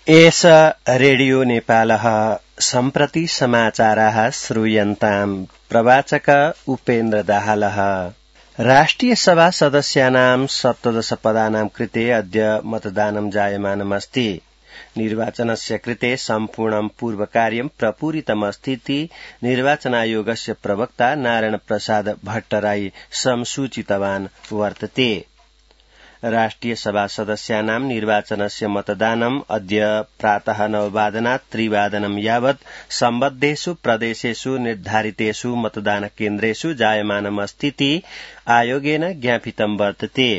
एष रेडियो नेपालः सम्प्रति समाचाराः श्रूयन्ताम्। प्रवाचक उपेन्द्र दाहालः। राष्ट्रिय सभा सदस्यानां 17 पदानां कृते अद्य मतदानं जायमानमस्ति। निर्वाचनस्य कृते सम्पूर्णं पूर्वकार्यं प्रपूरितमस्तीति निर्वाचनायोगस्य प्रवक्ता नारायण प्रसाद भट्टराई संसूचितवान् वर्तते। राष्ट्रिय सभा सदस्यानां निर्वाचनस्य मतदानम् अद्य प्रातः 9:00 त्रिवादनं यावत् सम्बद्धेषु प्रदेशेषु निर्धारितेषु मतदान केन्द्रेषु जायमानमस्तीति आयोगेन ज्ञापितं वर्तते।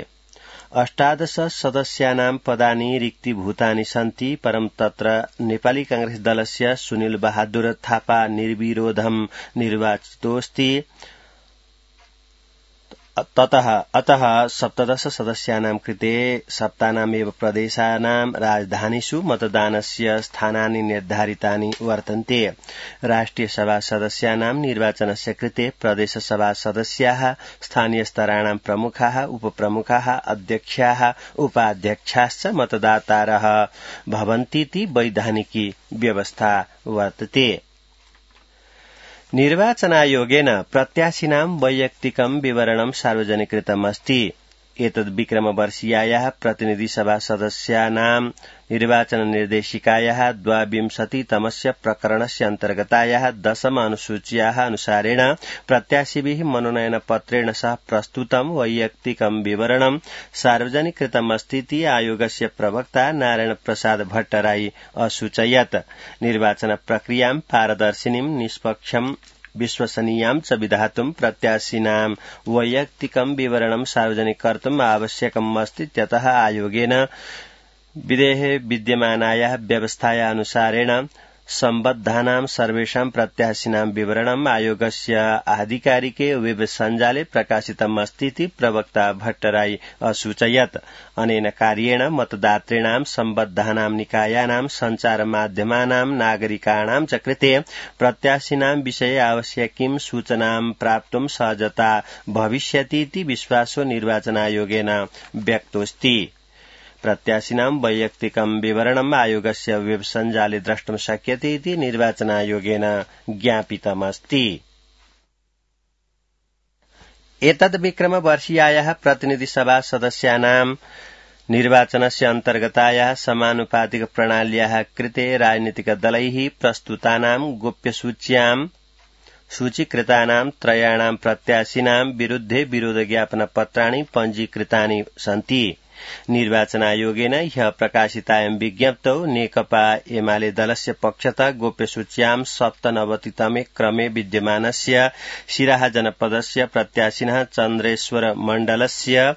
18 सदस्यानां पदानि रिक्तीभूतानि सन्ति, परं तत्र नेपाली कांग्रेस दलस्य सुनिल बहादुर थापा निर्विरोधं निर्वाचितोऽस्ति। अतः 17 सदस्यानां कृते सप्तानामेव प्रदेशानां राजधानीषु मतदानस्य स्थानानि निर्धारितानि वर्तन्ते। राष्ट्रिय सभा सदस्यानां निर्वाचनस्य कृते प्रदेश सभा सदस्याः, स्थानीय स्तराणां प्रमुखाः, उपप्रमुखाः, अध्यक्षाः, उपाध्यक्षाश्च मतदातारः भवन्तीति वैधानिकी व्यवस्था वर्तते। निर्वाचनायोगेन प्रत्याशिनां वैयक्तिकं विवरणं सार्वजनिकृतमस्ति। एतद् विक्रमवर्षीयायाः प्रतिनिधिसभा सदस्यानां निर्वाचन निर्देशिकायाः 22तमस्य प्रकरणस्य अन्तर्गतायाः 10 अनुसूच्याः अनुसारेण प्रत्याशिभिः मनोनयनपत्रेण सह प्रस्तुतं वैयक्तिकं विवरणं सार्वजनिकृतमस्तीति आयोगस्य प्रवक्ता नारायण प्रसाद भट्टराई असूचयत्। निर्वाचन प्रक्रियां पारदर्शिनीं, निष्पक्षं, विश्वसनीयां च विधातुं प्रत्याशिनां वैयक्तिकं विवरणं सार्वजनिक कर्तुम् आवश्यकम् अस्तीत्यतः आयोगेन विधेये विद्यमानायाः व्यवस्थायाः अनुसारेण सम्बद्धानां सर्वेषां प्रत्याशिनां विवरणम् आयोगस्य आधिकारिके वेब सञ्जाले प्रकाशितम् अस्तीति प्रवक्ता भट्टराई असूचयत्। अनेन कार्येण मतदातॄणां, सम्बद्धानां निकायानां, सञ्चारमाध्यमानां, नागरिकाणां च कृते प्रत्याशिनां विषये आवश्यकीं सूचनां प्राप्तुं सहजता भविष्यतीति विश्वासो निर्वाचनायोगेन व्यक्तोऽस्ति। प्रत्याशिनां वैयक्तिकं विवरणम् आयोगस्य वेब सञ्जाले द्रष्टुं शक्यते इति निर्वाचनायोगेन ज्ञापितमस्ति। एतद् विक्रमवर्षीयायाः प्रतिनिधिसभा सदस्यानां निर्वाचनस्य अन्तर्गतायाः समानुपातिक प्रणाल्याः कृते राजनीतिकदलैः प्रस्तुतानां गोप्यसूच्यां सूचीकृतानां त्रयाणां प्रत्याशिनां विरुद्धे विरोधज्ञापनपत्राणि पञ्जीकृतानि सन्ति। निर्वाचनायोगेन ह्यः प्रकाशितायां विज्ञप्तौ नेकपा एमाले दलस्य पक्षतः गोप्यसूच्यां 97तमे क्रमे विद्यमानस्य सिराहा जनपदस्य प्रत्याशिनः चन्द्रेश्वर मण्डलस्य,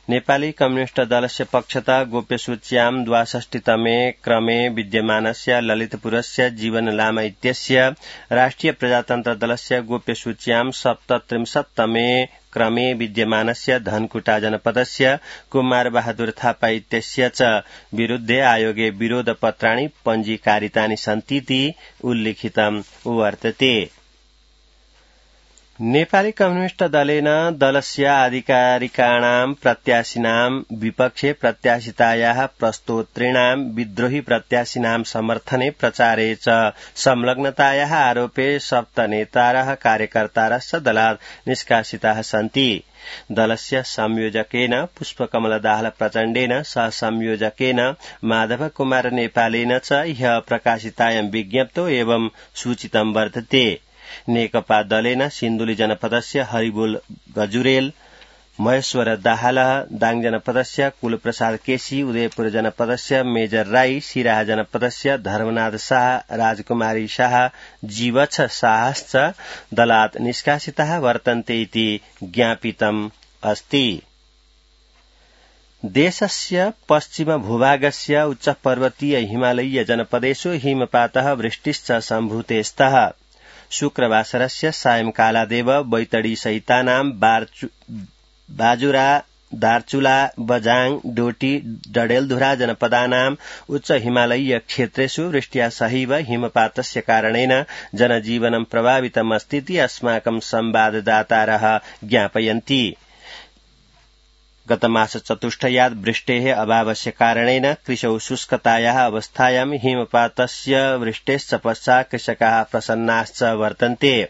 नेपाली कम्युनिष्ट दलस्य पक्षतः गोप्यसूच्यां 62तमे क्रमे विद्यमानस्य ललितपुरस्य जीवन लामा इत्यस्य, राष्ट्रिय प्रजातन्त्र दलस्य गोप्यसूच्यां 37तमे क्रमे विद्यमानस्य धनकुटा जनपदस्य कुमार बहादुर थापा इत्यस्य च विरुद्धे आयोगे विरोधपत्राणि पञ्जीकारितानि सन्तीति उल्लिखितं वर्तते। नेपाली कम्युनिष्ट दलेन दलस्य आधिकारिकाणां प्रत्याशिनां विपक्षे प्रत्याशितायाः प्रस्तोत्रीणां विद्रोही प्रत्याशिनां समर्थने प्रचारे च संलग्नतायाः आरोपे 7 नेतारः कार्यकर्तारश्च दलात् निष्कासिताः सन्ति। दलस्य संयोजकेन पुष्पकमल दाहाल प्रचण्डेन, सहसंयोजकेन माधव कुमार नेपालेन च ह्यः प्रकाशितायां विज्ञप्तौ एवं सूचितं वर्तते। नेकपा दलेन सिन्धुली जनपदस्य हरिबोल गजुरेल, महेश्वर दाहालः, दाङ जनपदस्य कुलप्रसाद केसी, उदयपुर जनपदस्य मेजर राई, सिराहा जनपदस्य धर्मनाथ शाह, राजकुमारी शाह, जीवछ शाहश्च दलात् निष्कासिताः वर्तन्ते इति ज्ञापितम् अस्ति। देशस्य पश्चिम भूभागस्य उच्चपर्वतीय हिमालयीय जनपदेषु हिमपातः वृष्टिश्च सम्भूते स्तः। शुक्रवासरस्य सायंकालादेव बैतडी सहितानां बाजुरा, दार्चुला, बजाङ, डोटी, डडेलधुरा जनपदानां उच्च हिमालयीय क्षेत्रेषु वृष्ट्या सहैव हिमपातस्य कारणेन जनजीवनं प्रभावितमस्तीति अस्माकं संवाददातारः ज्ञापयन्ति। गतमास चतुष्टयात् वृष्टेः अभावस्य कारणेन कृषौ शुष्कतायाः अवस्थायां हिमपातस्य वृष्टेश्च पश्चात् कृषकाः प्रसन्नाश्च वर्तन्ते।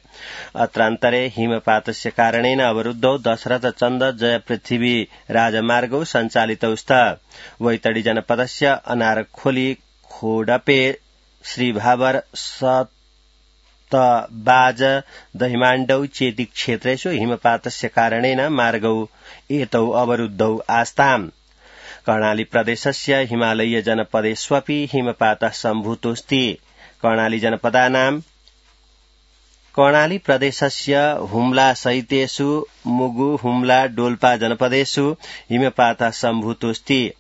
अत्रान्तरे हिमपातस्य कारणेन अवरुद्धौ दशरथचन्द जय पृथ्वी राजमार्गौ सञ्चालितौ स्तः। वैतडी जनपदस्य अनारखोली खोडपे श्रीभावर सतबाज दहिमाण्डौ चेति क्षेत्रेषु हिमपातस्य कारणेन मार्गौ एतौ अवरुद्धौ आस्ताम्। कर्णाली प्रदेशस्य हिमालयीय जनपदेष्वपि हिमपातः सम्भूतोऽस्ति। कर्णाली प्रदेशस्य हुम्ला सहितेषु मुगु हुम्ला डोल्पा जनपदेषु हिमपातः सम्भूतोऽस्ति।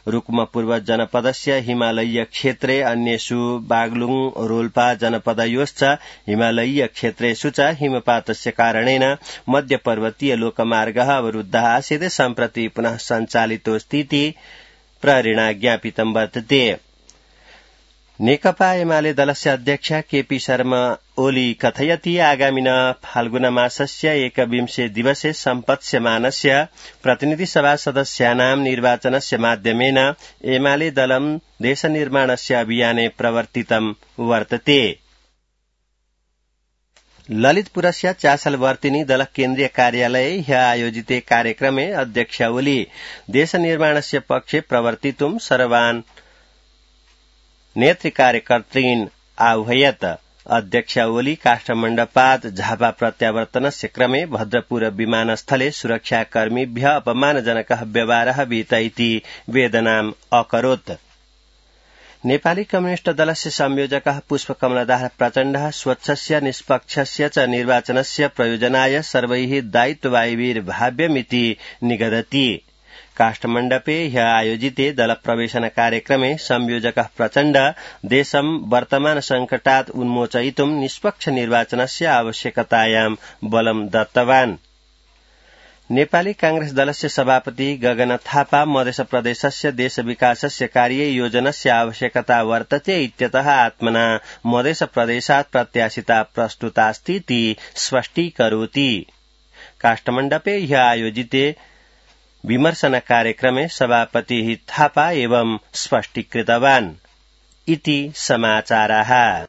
रुक्मपूर्व जनपदस्य हिमालयीय क्षेत्रे अन्येषु बागलुङ रोल्पा जनपदयोश्च हिमालयीय क्षेत्रेषु च हिमपातस्य कारणेन मध्यपर्वतीय लोकमार्गः अवरुद्धः आसीत् सम्प्रति पुनः सञ्चालितोऽस्तीति प्रहरिणा ज्ञापितं वर्तते। नेकपा एमाले दलस्य अध्यक्ष केपी शर्मा ओली कथयति आगामिन फाल्गुनमासस्य 21 दिवसे सम्पत्स्यमानस्य प्रतिनिधिसभा सदस्यानां निर्वाचनस्य माध्यमेन एमाले दलं देशनिर्माणस्य अभियाने प्रवर्तितं वर्तते। ललितपुरस्य चासलवर्तिनी दल केन्द्रीय कार्यालये ह्यः आयोजिते कार्यक्रमे अध्यक्ष ओली देशनिर्माणस्य पक्षे प्रवर्तितुं सर्वान् नेतृकार्यकर्तॄन् आह्वयत्। अध्यक्ष ओली काष्ठमण्डपात् झापा प्रत्यावर्तनस्य क्रमे भद्रपुर विमानस्थले सुरक्षाकर्मिभ्यः अपमानजनकः व्यवहारः विहितः इति वेदनाम् अकरोत्। नेपाली कम्युनिष्ट दलस्य संयोजकः पुष्पकमलदास प्रचण्डः स्वच्छस्य निष्पक्षस्य च निर्वाचनस्य प्रयोजनाय सर्वैः दायित्ववायुर्भाव्यमिति निगदति। काष्ठमण्डपे ह्यः आयोजिते दलप्रवेशन कार्यक्रमे संयोजकः प्रचण्ड देशं वर्तमान संकटात् उन्मोचयितुं निष्पक्ष निर्वाचनस्य आवश्यकतायां बलं दत्तवान्। नेपाली कांग्रेस दलस्य सभापति गगन थापा मध्य प्रदेशस्य देश विकासस्य कार्ये योजनस्य आवश्यकता वर्तते इत्यतः आत्मना मध्य प्रदेशात् प्रत्याशिता प्रस्तुतास्तीति स्पष्टीकरोति। काष्ठमण्डपे ह्यः आयोजिते विमर्शन कार्यक्रमे सभापतिः थापा एवं स्पष्टीकृतवान् इति समाचाराः।